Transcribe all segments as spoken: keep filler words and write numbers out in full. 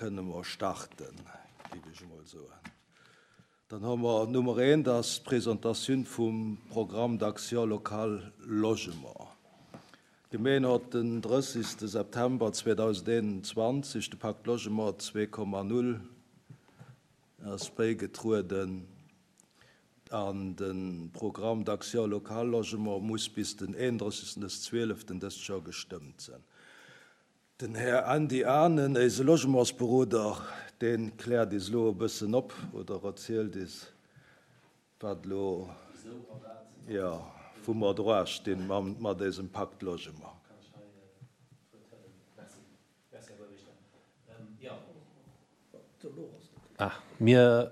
Kënne mer starten, géif ech emol soen. Dann hu mer Nummer eent, ass d'Presentatioun vum Programme d'action locale Logement. D'Gemeng huet den drëssigste September zweedausendeenundzwanzeg de Pacte Logement zwee Komma null ass bäigetrueden an de Programme d'action locale Logement muss bis den eenundrëssigsten des zwieleften dëst Joer gestëmmt sinn. Den Här Andy Anen, eise Logementsberoder, deen kläert is elo e bëssen op oder erzielt is, wat elo, ja, wou mer dra stinn mat dësem Pacte Logement. Kann ech hei d'Wuert huelen? Merci. Merci, Här Buergermeeschter. Jo. Ah, mir,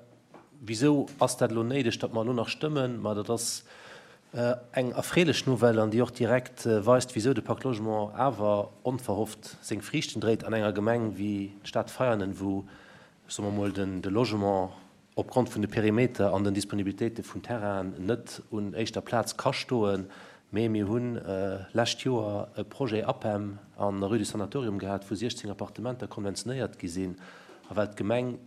wisou ass dat elo néideg, datt mer elo nach stëmmen? Ma dat ass eng erfreelech Nouvelle an déi och direkt weist, wisou de Pacte Logement awer onverhofft seng Friichten dréit an enger Gemeng wéi d'Stad Veianen, wou, soe mer mol, de Logement opgrond vun de Perimeter an den Disponibilitéite vun Terrainen net un éischter Plaz ka stoen. Mee mir hunn lescht Joer e Projet APEM an der Rue du Sanatorium gehat, wou siechzéng Appartementer konventionéiert gi sinn. A well d'Gemeng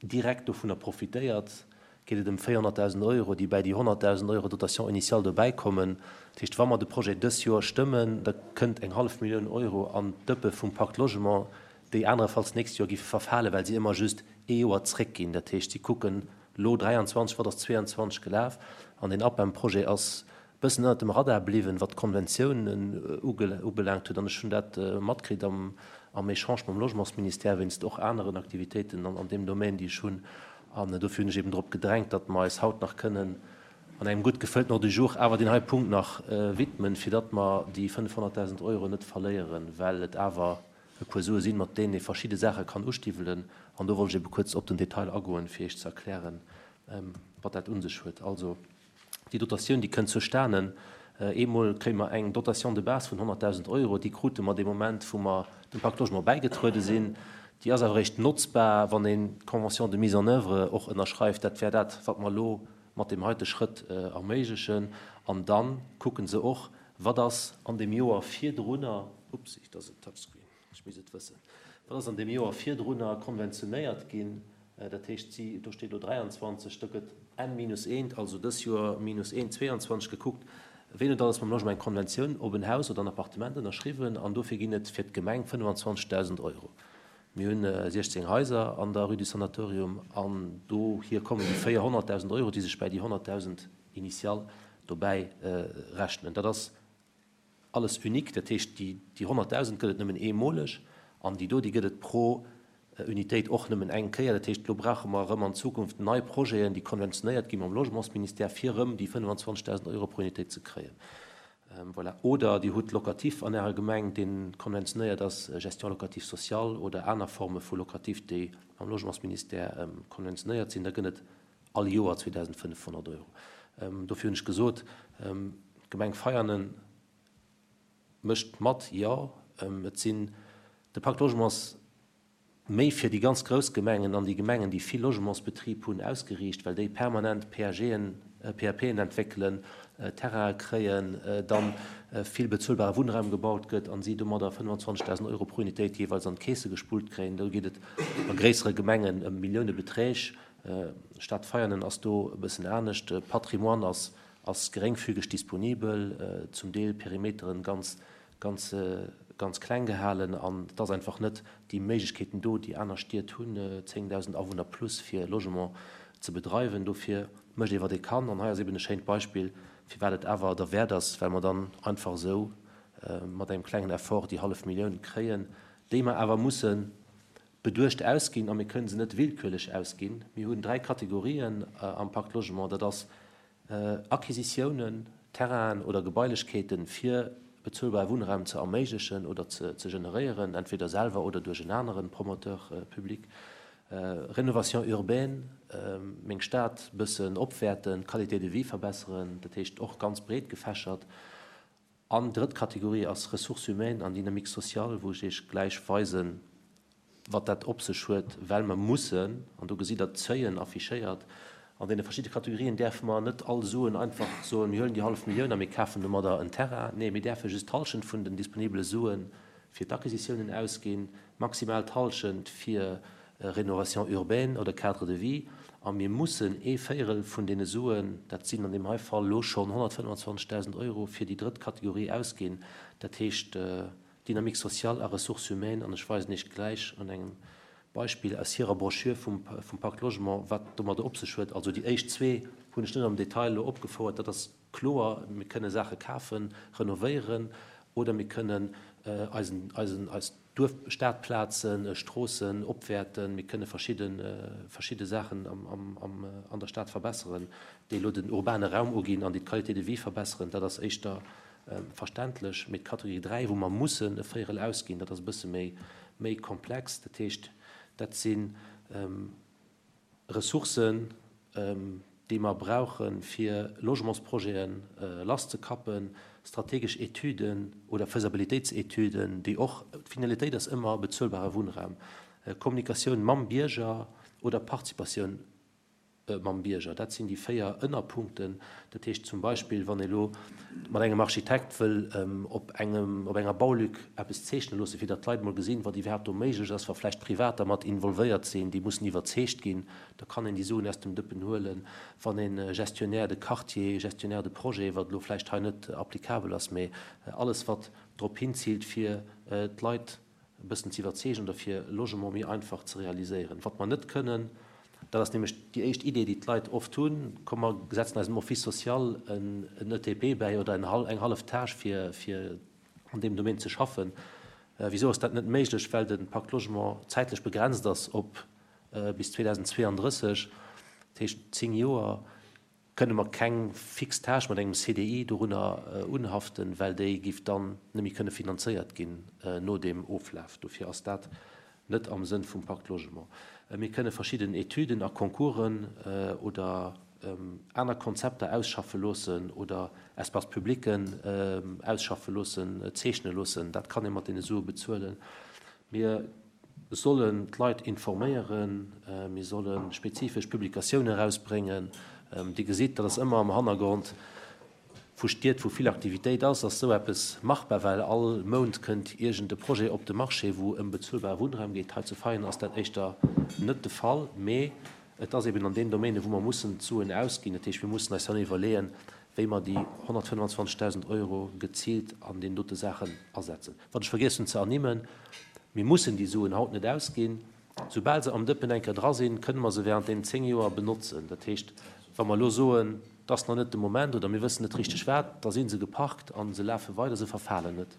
direkt dovunner profitéiert, geet et ëm véierhonnertdausend Euro, déi bäi déi honnertdausend Euro Dotation initiale dobäi kommen. Dat heescht, wa mer de Projet dës Joer stëmmen, da kënnt eng hallef Millioun Euro an d'Dëppe vum Pacte Logement, déi anerefalls d'nächst Joer géife verfalen, well si ëmmer just ee Joer zréckginn. Dat heescht, si kucken elo dräianzwanzeg, wat ass zweeanzwanzeg gelaf, an deen APEM-Projet ass e bëssen ënnert dem Radar bliwwen, wat d'Konventiounen ubelaangt huet. An ech hunn dat matkritt am Echange mam Logementsministère wéinst och aneren Aktivitéiten an deem Domaine, déi ech hunn. An dofir hunn ech eben drop gedrängt, datt mer eis haut nach kënnen an engem gutt gefëllten Ordre du jour awer deen hei Punkt nach widmen, fir datt mer déi fënnefhonnertdausend Euro net verléieren, well et awer e puer Sue sinn, mat deenen ee verschidde Saache kann ustiwwelen. An do wollt ech ebe kuerz op den Detail agoen, fir Iech ze erklären, wat dat un sech huet. Also, déi Dotatioun, déi kënnt zustanen. Eemol kréie mer eng Dotation de base vun honnertdausend Euro. Déi krute mer dee Moment, wou mer dem Pacte Logement bäigetruede sinn. Déi ass awer eréischt notzbar, wann een d'Convention de mise en œuvre och ënnerschreift. Dat wär dat, wat mer elo mat deem heite Schrëtt erméiglechen. An da kucke se och, wat ass an deem Joer virdrunner, ups, dat ass en Touchscreen, ech misst et wëssen, wat ass an deem Joer virdrunner konventionéiert ginn. Dat heescht, si, do steet elo dräianzwanzeg, do gëtt N minus eent, also dës Joer minus eent, zweeanzwanzeg gekuckt, ween huet alles mam Logement eng Konventioun op en Haus oder en Appartement ënnerschriwwen, an dofir ginn et fir d'Gemeng fënnefanzwanzegdausend Euro. Mir hunn siechzéng Haiser an der Rue du Sanatorium an dohier kommen déi véierhonnertdausend Euro, déi sech bäi déi honnertdausend initial dobäi rechnen. Dat ass alles unique, dat heescht, déi honnertdausend gëtt et nëmmen eemoleg an déi do, déi gëtt et pro Unitéit och nëmmen eng Kéier. Dat heescht, elo brauche mer erëm an Zukunft nei Projeten, déi konventionéiert gi mam Logementsministère, fir erëm déi fënnefanzwanzegdausend Euro pro Unitéit ze kréien. Voilà. Oder Dir hutt Locatif an Ärer Gemeng, dee konventionéiert ass, Gestion locative sociale oder aner Forme vu Locatif, déi mam Logementsministère konventionéiert sinn, da gëtt et all Joer zweedausendfënnefhonnert Euro. Dofir hunn ech gesot, d'Gemeng Veianen mécht mat, jo. Et sinn, de Pacte Logement ass méi fir déi ganz grouss Gemengen an déi Gemengen, déi vill Logementsbetrib hunn, ausgeriicht, well déi permanent P A Gen, P A Pen entwéckelen, Terraine kréien, dann vill bezuelbare Wunnraum gebaut gëtt an si domadder fënnefanzwanzegdausend Euro pro Unitéit jeeweils an d'Keese gespullt kréien. Do geet et a gréissere Gemengen ëm Milliounebeträg. Stad Veianen ass do e bëssen anescht. Patrimoine ass, ass geréngfügeg disponibel, zum Deel Perimeteren ganz, ganz, ganz kleng gehalen an et ass einfach net déi Méiglechkeeten do, déi aner Stied hunn, zéngdausend Awunner plus fir Logement ze bedreiwen. Dofir mécht ee wat ee kann an hei ass eben e schéint Beispill, firwat et awer derwäert ass, well mer dann einfach esou mat engem klengen Effort déi hallef Millioun kréien, déi mer awer musse beduecht ausginn a mir kënnen se net willkürlech ausginn. Mir hunn dräi Kategorien am Pacte Logement, dat ass Acquisitiounen, Terrainen oder Gebailechkeeten fir bezuelbare Wunnraum ze erméiglechen oder ze, ze generéieren, entweder selwer oder duerch en aneren Promoteur public. Rénovation urbaine, meng Stad bëssen opwäerten, Qualité de vie verbesseren, dat heescht och ganz breet gefächert. An drëtt Kategorie ass Ressources humaines an Dynamique sociale, wou ech Iech gläich weisen, wat dat op sech huet, well mer mussen, an do gesitt Der d'Seuillen affichéiert, an deene verschiddene Kategorien däerfe mer net all Suen einfach soen, mir huelen déi hallef Millioun a mir kafen domadder en Terrain. Nee, mir däerfe just d'Hallschent vun den disponibele Sue fir d'Acquisitiounen ausginn, maximal d'Hallschent fir Rénovation urbaine oder Cadre de vie. A mir mussen ee Véierel vun deene Suen, dat sinn an deem hei Fall elo schonn honnertfënnwandzwanzegdausend Euro, fir déi drëtt Kategorie ausginn, dat heescht Dynamique sociale a Ressources humaines. An ech weisen Iech gläich un engem Beispill aus hirer Broschür vum Pacte Logement, wat domadder op sech huet. Also déi éischt zwee hunn ech net am Detail elo opgefouert, dat ass kloer, mir kënne Saache kafen, renovéieren oder mir kënnen eisen, eisen, eis Duerf, Stadplazen, Stroossen opwäerten, mir kënne verschidde, verschidde Saachen am, am, am, an der Stad verbesseren, déi elo den urbane Raum uginn an déi d'Qualité de vie verbesseren. Dat ass éischter verständlech. Mee d'Kategorie dräi, wou mer mussen e Véierel ausginn, dat ass e bësse méi, méi komplex. Dat heescht, dat si Ressourcen, déi mer brauchen, fir Logementsprojete lasszekappen, strategesch Etüden oder Faisabilitéitsetüden, déi och, d'Finalitéit ass ëmmer bezuelbare Wunnraum, Kommunikatioun mam Bierger oder Participatioun mam Bierger. Dat sinn déi véier Ënnerpunkten. Dat heescht zum Beispill, wann ee lo mat engem Architekt wëll op engem, op enger Baulück eppes zeechne loosse, fir datt d'Leit mol gesinn, wat iwwerhaapt do méiglech ass, wa vläicht Privater mat involvéiert sinn, déi mussen iwwerzeegt ginn, da kann een déi Suen aus dem Dëppen huelen. Wann een Gestionnaire de quartier, Gestionnaire de projet, wat elo vläicht hei net applicabel ass, mee alles wat drop hinziilt, fir d'Leit e bëssen ze iwwerzeegen oder fir Logement méi einfach ze realiséieren. Wat mer net kënnen, dat ass nämlech déi éischt Idee, déi d'Leit oft hunn, komm mer setzen eisem Office social en E T P bäi oder eng hallef Tâche, fir, fir an deem Domaine ze schaffen. Wieso ass dat net méiglech? Well de Pacte Logement zäitlech begrenzt ass op bis zweedausendzweeëndrësseg, dat heescht zéng Joer, kënne mer keng fix Tâche mat engem C D I dorunner unhaften, well déi giff dann net méi kënne finanzéiert ginn no deem Oflaf. Dofir ass dat net am Sënn vum Pacte Logement. Mir kënne verschidden Etüden a Concoursen oder aner Konzepter ausschaffe loossen oder Espace publicen ausschaffe loossen, zeechne loossen. Dat kann ee mat deene Sue bezuelen. Mir sollen d'Leit informéieren, mir solle spezifesch Publikatiounen erausbréngen. Dir gesitt, dat ass ëmmer am Hannergrond vu Stied, wou vill Aktivitéit ass, ass sou eppes machbar, well all Mount kënnt iergend e Projet op de Marché, wou ëm bezuelbare Wunnraum geet. Hei zu Veien ass dat éischter net de Fall, mee et ass eben an den Domänen, wou mer mussen d'Suen ausginn. Dat heescht, mir mussen eis dann iwwerleeën, wéi mer déi honnertfënnwandzwanzegdausend Euro geziilt an den dote Saachen asetzen. Wat ech vergiess hunn ze ernimmen, mir mussen déi Suen haut net ausginn. Soubal se am Dëppen eng Kéier dra sinn, kënne mer se während den zéng Joer benotzen. Dat heescht, wa mer elo soen, das ass nach net de Moment oder mir wëssen net richteg wat, da sinn se geparkt an se lafe weider, se verfalen net.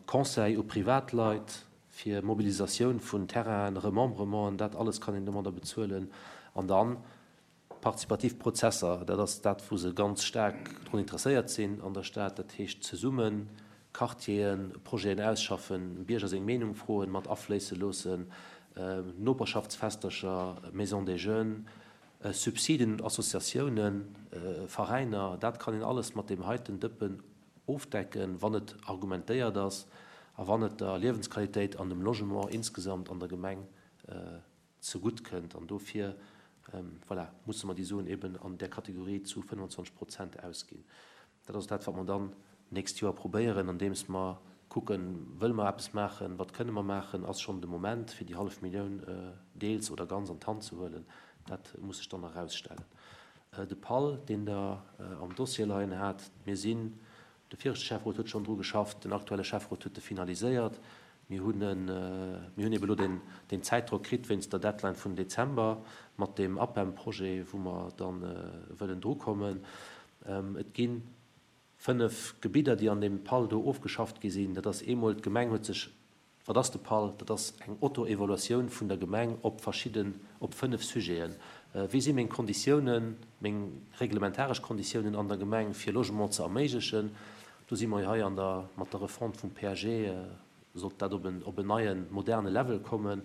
Conseil u Privatleit fir Mobilisatioun vun Terrainen, Remembrementen, dat alles kann een domadder bezuelen. An dann partizipativ Prozesser, dat ass dat, wou se ganz staark drun interesséiert sinn an der Stad, dat heescht zesummen Quartieren, Projeten ausschaffen, Bierger seng Meenung froen, mat afléisse loossen, Noperschaftsfestercher, Maison des Jeunes, Subsiden, Associatiounen, Veräiner, dat kann een alles mat deem heiten Dëppen ofdecken, wann et argumentéiert ass a wann et der Liewensqualitéit an dem Logement insgesamt an der Gemeng zegutt kënnt. An dofir, voilà, musse mer déi Suen eben an der Kategorie zu fënnwandzwanzeg Prozent ausginn. Dat ass dat, wat mer dann nächst Joer probéieren, andeems mer kucken, wëlle mer eppes maachen, wat kënne mer maachen, ass schonn de Moment, fir déi hallef Millioun deels oder ganz an d'Hand ze huelen. Dat muss sech dann herausstellen. De P A L, deen der am Dossier leien hat, mir sinn, de viregte Schäfferot huet schonn dru geschafft, den aktuelle Schäfferot huet de finaliséiert. Mir hunn en, mir hunn eben elo den, den Zäitdrock kritt wéinst der Deadline vun Dezember mat dem A P E M-Projet, wou mer dann wëllen drukommen. Et ginn fënnef Gebidder, déi an dem P A L do ofgeschafft gi sinn. Dat ass eemol, d'Gemeng huet sech, wat ass de P A L? Dat ass eng Auto-Evaluatioun vun der Gemeng op verschidden, op fënnef Sujeten. Wéi si meng Konditiounen, meng reglementaresch Konditiounen an der Gemeng fir Logement ze erméiglechen? Do si mer hei an der, mat der Refonte vum P A G, sollt dat op en, op en neien, moderne Level kommen.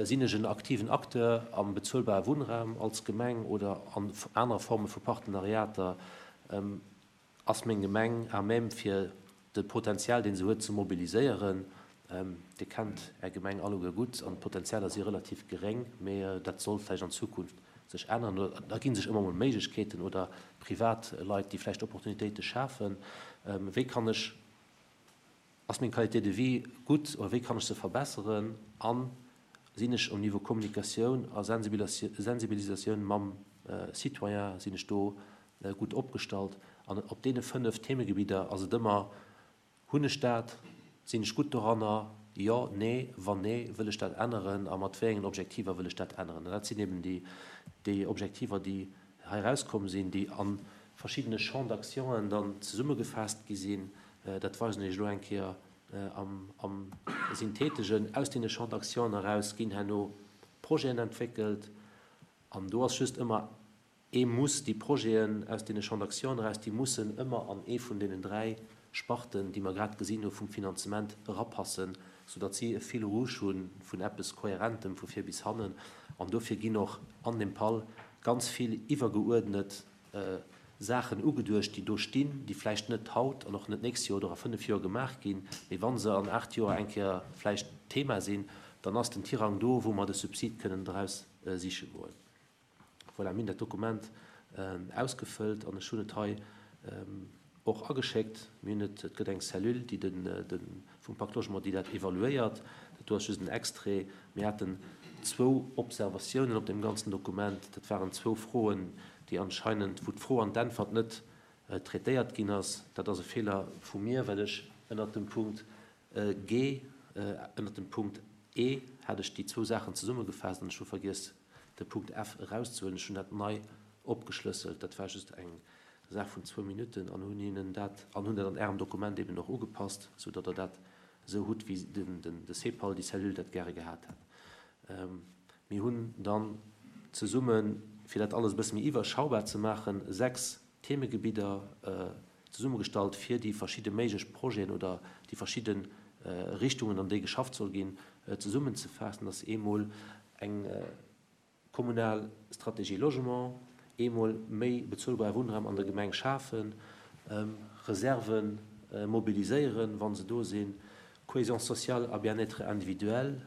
Sinn ech en aktiven Acteur am bezuelbare Wunnraum als Gemeng oder an aner Forme vu Partenariater? Ass meng Gemeng à même fir de Potenzial, den se huet, ze mobiliséieren? Dir kennt Är Gemeng alleguer gutt an d'Potenzialer si relativ geréng, mee dat soll vläicht an Zukunft sech ännern. Oder da ginn sech ëmmer mol Méiglechkeeten oder Privatleit, déi vläicht Opportunitéite schafen. Wéi kann ech, ass meng Qualité de vie gutt oder wéi kann ech se verbessern? An Sinn ech um Niveau Kommunikatioun a Sensibilisatioun mam Citoyen, sinn ech do gutt opgestallt? An op deene fënnef Themegebidder ass et ëmmer, Hunn ech dat? Sinn ech gutt doranner? Jo, nee, wann nee, wëll ech dat änneren a mat wéi engen Objektiver wëll ech dat änneren? An dat sinn eben déi, déi Objektiver, déi hei erauskomm sinn, déi a verschiddene Champs d'actionen dann zesummegefaasst gi sinn. Dat weisen ech elo eng Kéier am, am Synthetegen. Aus deene Champs d'actionen eraus ginn herno Projeten entwéckelt an do ass just ëmmer ee Muss, déi Projeten aus deene Champs d'action eraus, déi mussen ëmmer an ee vun deenen dräi Sparten, déi mer grad gesinn hu vum Finanzement, erapassen, soudatt si e Fil rouge hu vun eppes Kohärentem vu vir bis hannen. An dofir ginn och an deem PAL ganz vill iwwergeuerdnet Saachen ugeduecht, déi do stinn, déi vläicht net haut an och net d'nächst Joer oder a fënnef Joer gemaach ginn, mee wa se an aacht Joer eng Kéier vläicht Thema sinn, dann ass den Tirang do, wou mer de Subsid kënnen draus siche goen. Voilà, mir hunn dat Dokument ausgefëllt an ech hunn et hei och ageschéckt. Mir hunn et, et gëtt eng Cellule, déi den, de vum Pacte Logement, déi dat evaluéiert. Dat do ass just en Extrait. Mir haten zwou Observatiounen op deem ganzen Dokument. Dat waren zwou Froen, déi anscheinend, wou d'Fro an d'Äntwert net traitéiert ginn ass. Dat ass e Feeler vu mir, well ech ënnert dem Punkt G, ënnert dem Punkt E hat ech déi zwou Saachen zesummegefaasst an ech hu vergiess, de Punkt F erauszehuelen. Ech hunn dat nei opgeschlësselt. Dat war just eng Saach vun zwou Minutten an hunn hinnen dat, an hunn dat an Ärem Dokument eben och ugepasst, soudatt Der dat esou hutt, wéi den, de CEPAL, déi Cellule dat gäre gehat hätt. Mir hunn dann zesummen, fir dat alles e bësse méi iwwerschaubar ze maachen, sechs Themegebidder zesummegestallt, fir déi verschidde méiglech Projeten oder déi verschidde Richtungen, an déi geschafft soll ginn, zesummenzefaassen. Dat ass eemol eng kommunal Strategie Logement, eemol méi bezuelbare Wunnraum an der Gemeng schafen, Reserve mobiliséieren, wa se do sinn, Cohésion sociale a bien-être individuel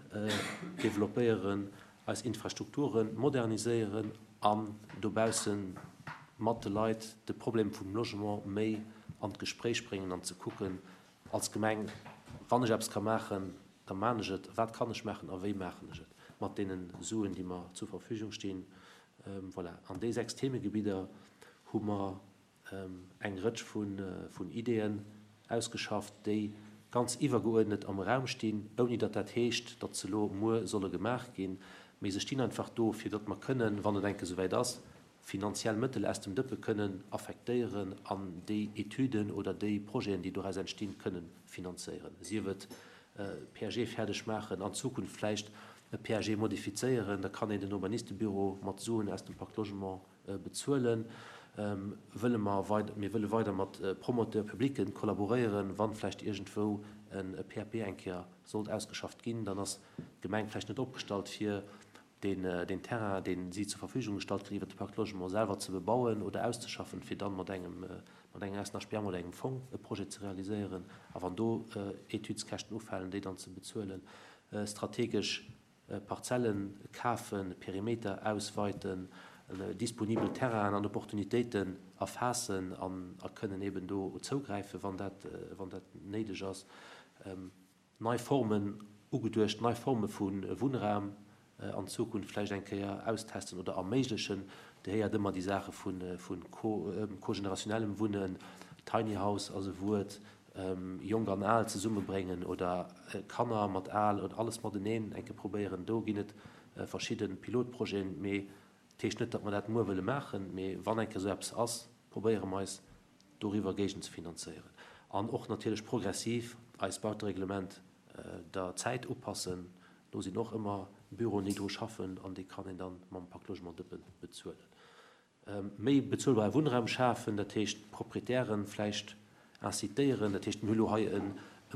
développéieren, eis Infrastrukture moderniséieren an dobausse mat de Leit de Problem vum Logement méi an d'Gespréich bréngen an ze kucken als Gemeng, wann ech eppes ka maachen, da maan ech et, wat kann ech maachen a wéi maachen ech et mat deene Suen, déi mer zur Verfügung stinn. Voilà, an déi sechs Themegebidder hu mer eng Rëtsch vun Ideeën ausgeschafft, déi ganz iwwergeuerdnet am Raum stinn, ouni datt dat heescht, datt se elo muer solle gemaach ginn, mee se stinn einfach do, fir datt mer kënnen, wann et eng Kéier esouwäit ass, finanziell Mëttel aus dem Dëppe kënnen affektéieren an déi Etüden oder déi Projeten, déi doraus entstinn, kënnen finanzéieren, sief et P A G fäerdeg maachen, an Zukunft vläicht e P A G modifizéieren, da kann een den Urbanistebüro mat Suen aus dem Pacte Logement bezuelen. Wëlle mer weider, mir wëlle weider mat Promoteurs publics kollaboréieren, wann vläicht iergendwou e P A P eng Kéier sollt ausgeschafft ginn, dann ass d'Gemeng vläicht net opgestallt, fir den, den Terrain, deen si zur Verfügung gestallt kritt, iwwer de Pacte Logement selwer ze bebauen oder auszeschaffen, fir dann mat engem, mat engem S N H P M oder engem Fong e Projet ze realiséieren, a wann do Etüdskäschten ufalen, déi dann ze bezuelen, strategesch Parzellen kafen, Perimeter ausweiten, disponibel Terrainen an Opportunitéiten erfaassen an a kënnen eben do zougräifen, wann dat, wann dat néideg ass. Nei Formen ugeduecht, nei Forme vu Wunnraum an Zukunft vläicht eng Kéier austesten oder erméiglechen. Dir héiert ëmmer déi Saache vu, vu co-generationellem Wunnen, Tiny House ass e Wuert, Jonk an Al zesummebréngen oder Kanner mat Al oder alles mateneen eng Kéier probéieren. Do ginn et verschidde Pilotprojeten, mee dat heescht net, datt mer dat muer wëlle maachen, mee wann eng Kéier esou eppes ass, probéiere mer eis doriwwer géigend ze finanzéieren. An och natierlech progressiv eis Bautereglement der Zäit upassen. Do sinn och ëmmer Büroen, déi dru schaffen, an déi kann een dann mam Pacte Logement Dëppen bezuelen. Méi bezuelbare Wunnraum schafen, dat heescht Proprietären vläicht incitéieren, dat heescht mir hu lo hei e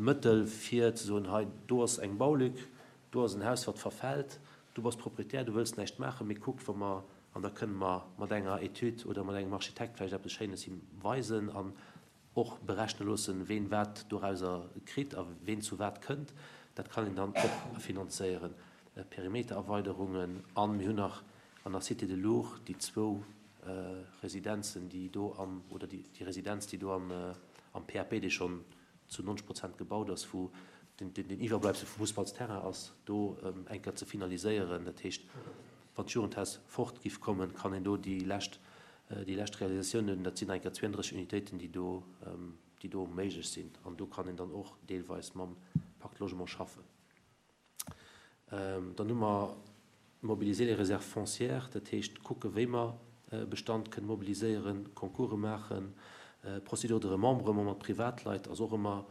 Mëttel fir ze soen, hei do ass eng Baulück, do ass en Haus, wat verfält, du bass Proprietär, du wëlls näischt maachen, mee kuck, wa mer, an da kënne mer mat enger Etüd oder mat engem Architekt vläicht eppes Schéines him weisen an och berechne loossen, ween wat dorauser kritt a ween zu wat kënnt. Dat kann een dann och finanzéieren. Perimetererweiderungen, an mir hunn nach an der Cité de Lourdes déi zwou Residenzen, déi do am, oder déi, déi Residenz, déi do am, am P A P, déi schonn zu neunzeg Prozent gebaut ass, wou den, den, den Iwwerbleibsel vum Fussballsterrain ass, do eng Kéier ze finaliséieren. Dat heescht, wann d'Jugendhaus fort giff kommen, kann een do déi lescht, déi lescht Realisatiounen, dat sinn eng Kéier zwouanddrësseg Unitéiten, déi do, déi do méiglech sinn. An do kann een dann och deelweis mam Pacte Logement schaffen. Dann hu mer mobiliser les réserves foncières, dat heescht kucke wéi mer Bestand kënnen mobiliséieren, Concourse maachen, Procédure de remembrement mat Privatleit ass och ëmmer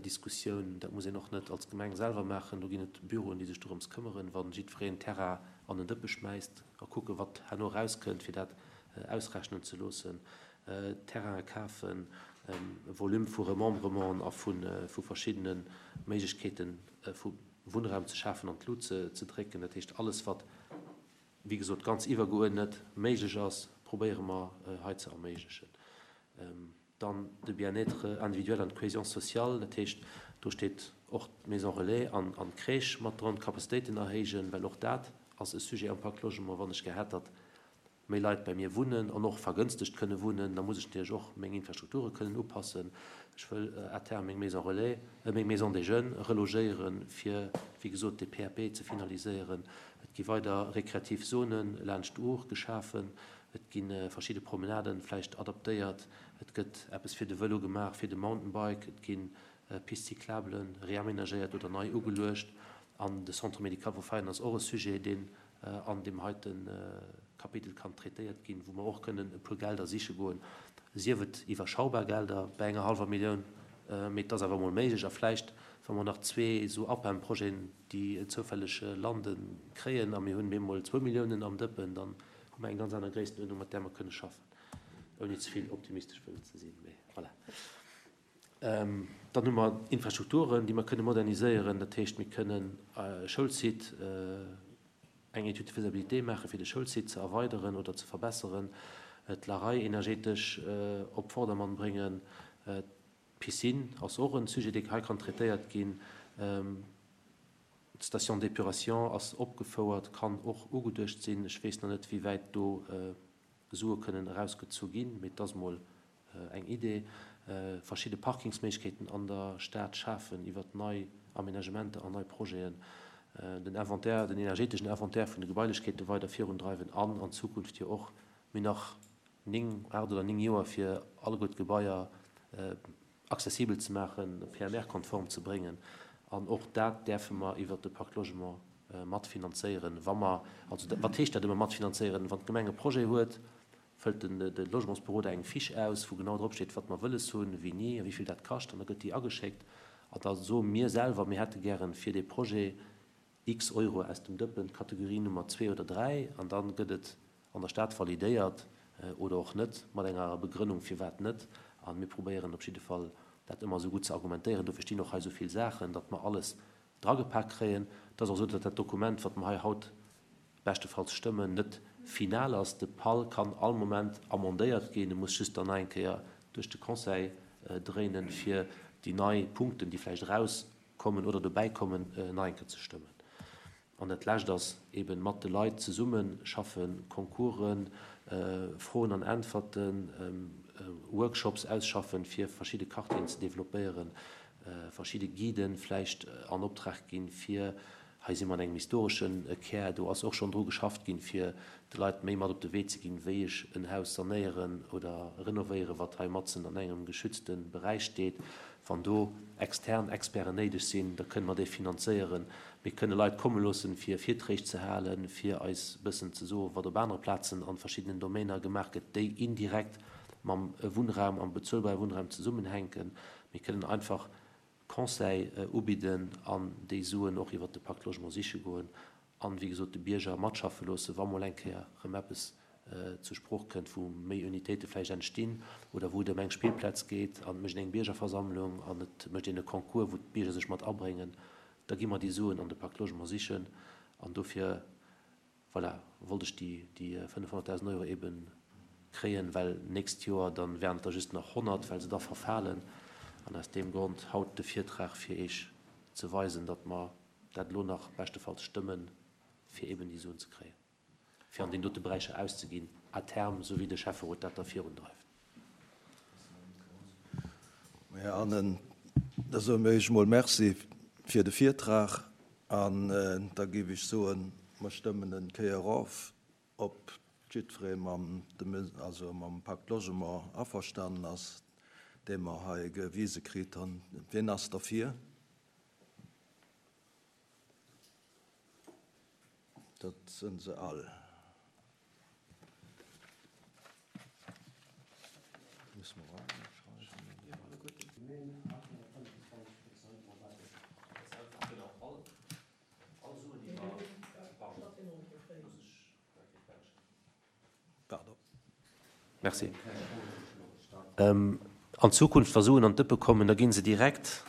Diskussioun. Dat muss een och net als Gemeng selwer maachen, do ginn et Büroen, déi sech dorëms këmmeren, wa jiddwereen Terrain an en Dëppe schmäisst a kucke wat herno erauskënnt, fir dat ausrechnen ze loossen, Terraine kafen, Volume vu Remembrementen a vu verschiddene Méiglechkeete vu Wunnraum ze schafen an d'Lut ze drécken. Dat heescht, alles wat, wéi gesot, ganz iwwergeuerdnet méiglech ass, probéiere mer hei ze erméiglechen. Dann de Bien-être individuel an d'Cohésion sociale, dat heescht, do steet och d'Maison relais an d'Crèche mat dran, d'Capacitéiten erhéijen, well och dat ass e Sujet am Pacte Logement, wann ech gär hätt, datt méi Leit bei mir wunnen an och vergënstegt kënne wunnen, da muss ech natierlech och meng Infrastrukture kënnen upassen. Ech wëll à terme meng Maison relais, meng Maison des jeunes relogéieren, fir, wéi gesot, de P A P ze finaliséieren. Et gi weider rekreativ Zone laanscht d'Our geschafen. Et gi verschidde Promenaden vläicht adaptéiert. Et gëtt eppes fir de Vëlo gemaach, fir de Mountainbike. Et gi Pistes cyclables reaménagéiert oder nei ugeluecht. An de Centre médical vu Veianen ass och e Sujet, deen an deem heite Kapitel kann traitéiert ginn, wou mer och kënnen e puer Gelder siche goen, sief et iwwerschaubar Gelder bei enger hallwer Millioun, mee et ass awer emol méiglech. A vläicht, wa mer nach zwee esou A P E M-Projeten, déi zoufälleg landen, kréien a mir hunn bemol zwou Milliounen am Dëppen, dann hu mer eng ganz aner Gréisstenuerdnung, mat där mer kënne schaffen, ouni ze vill optimistesch wëllen ze sinn. Mee voilà. Dann hu mer Infrastrukturen, déi mer kënne moderniséieren. Dat heescht, mir kënnen Schoulsite, eng Étude de faisabilité maachen, fir de Schoulsite ze erweideren oder ze verbesseren, d'Larei energetesch op Vordermann bréngen, d'Piscine ass och en Sujet, dee hei kann traitéiert ginn, d'Station d'épuration ass opgefouert, kann och ugeduecht sinn. Ech weess nach net, wéi wäit do Sue kënnen erausgezu ginn, mee et ass mol eng Idee. Verschidde Parkingsméiglechkeeten an der Stad schafen iwwert nei Aménagementer an nei Projeten, den Inventaire, den energeteschen Inventaire vun de Gebailechkeete weider virundreiwen an an Zukunft jo och mir nach néng, aacht oder néng Joer fir alleguer d'Gebaier accessibel ze maachen, P M R-konform ze bréngen. An och dat däerfe mer iwwert de Pacte Logement matfinanzéieren. Wa mer, also wat heescht dat ëmmer matfinanzéieren? Wann d'Gemeng e Projet huet, fëllt den, de Logementsberoder eng Fiche aus, wou genau drop steet, wat mer wëlles hunn, wéini a wéi vill dat kascht, an da gëtt déi ageschéckt. An da soe mir selwer, mir hätte gären fir dee Projet x Euro aus dem Dëppen, Kategorie Nummer zwee oder dräi, an dann gëtt et an der Stad validéiert oder och net, mat enger Begrënnung firwat net. An mir probéieren op jidde Fall dat ëmmer esou gutt ze argumentéieren. Dofir stinn och hei esou vill Saachen, datt mer alles dragepak kréien. Et ass och esou, datt dat Dokument, wat mer hei haut beschtefalls stëmmen, net final ass. De P A L kann all Moment amendéiert ginn. E muss just dann nach eng Kéier duerch de Conseil dréinen, fir déi nei Punkten, déi vläicht rauskommen oder dobäi kommen, nach eng Kéier ze stëmmen. An dat Lescht ass eben mat de Leit zesumme schaffen, Concoursen, Froen an Äntwerten, Workshops ausschaffen, fir verschidde Quartieren ze développéieren, verschidde Guiden vläicht an Optrag ginn, fir, hei si mer an engem historeschen Kär, do ass och schonn dru geschafft ginn, fir de Leit méi mat op de Wee ze ginn, wéi ech en Haus sanéieren oder renovéieren, wat hei matzen an engem geschützte Beräich steet. Wann do extern Experten néideg sinn, da kënne mer déi finanzéieren. Mir kënne Leit komme loossen, fir Virträg ze halen, fir eis bëssen ze soen, wat op anere Plazen an verschiddenen Domäner gemaach gëtt, déi indirekt mam Wunnraum, am bezuelbare Wunnraum zesummenhänken. Mir kënnen einfach Conseil ubidden an déi Suen och iwwer de Pacte Logement siche goen an, wéi gesot, de Bierger matschaffe loossen, wa mol eng Kéier rëm eppes zur Sprooch kënnt, wou méi Unitéite vläicht entstinn oder wou et ëm eng Spillplaz geet an et mécht eng Biergerversammlung an et mécht een e Concours, wou d'Bierger sech mat abréngen, da gi mer déi Suen an de Pacte Logement sichen. An dofir, voilà, wollt ech déi, déi fënnefhonnertdausend Euro eben kréien, well nächst Joer dann wären et der just nach honnert, well se da verfalen. An aus deem Grond haut de Virtrag fir Iech ze weisen, datt mer dat elo nach beschtefalls stëmmen, fir eben déi Suen ze kréien, fir an den dote Beräicher auszeginn, à terme, sou wéi de Schäfferot dat da virundreift. Här Annen, da soe mir Iech mol Merci fir de Virtrag an da géif ech soen, mer stëmmen en Kéier of, ob jiddweree mam, also mam Pacte Logement averstanen ass, dee mer hei gewise kritt hunn. Wien ass derfir? Dat sinn se all. Merci. An Zukunft, wa Suen an d'Dëppe kommen, da gi se direkt,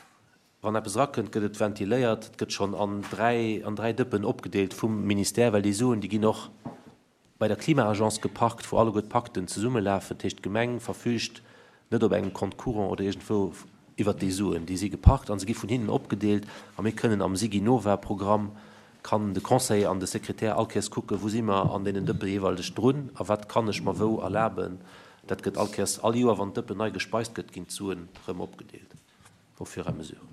wann eppes erakënnt, gëtt et ventiléiert, et gëtt schonn an dräi, an dräi Dëppen opgedeelt vum Ministère, well déi Suen, déi ginn och bei der Klima-Agence geparkt, wou alleguer d'Pakten zesummelafen. Dat heescht, d'Gemeng verfüügt net op engem Compte courant oder iergendwou iwwert déi Suen. Déi si geparkt a se gi vun hinnen opgedeelt a mir kënnen am SigiNova-Programm, kann de Conseiller an de Sekretär all Kéiers kucken, wou si mer an deenen Dëppe jeeweileg drun a wat kann ech mer wou erlaben. Dat gëtt all Kéiers, all Joer, wann d'Dëppen nei gespeist gëtt, ginn d'Suen erëm opgedeelt au fur et à mesure.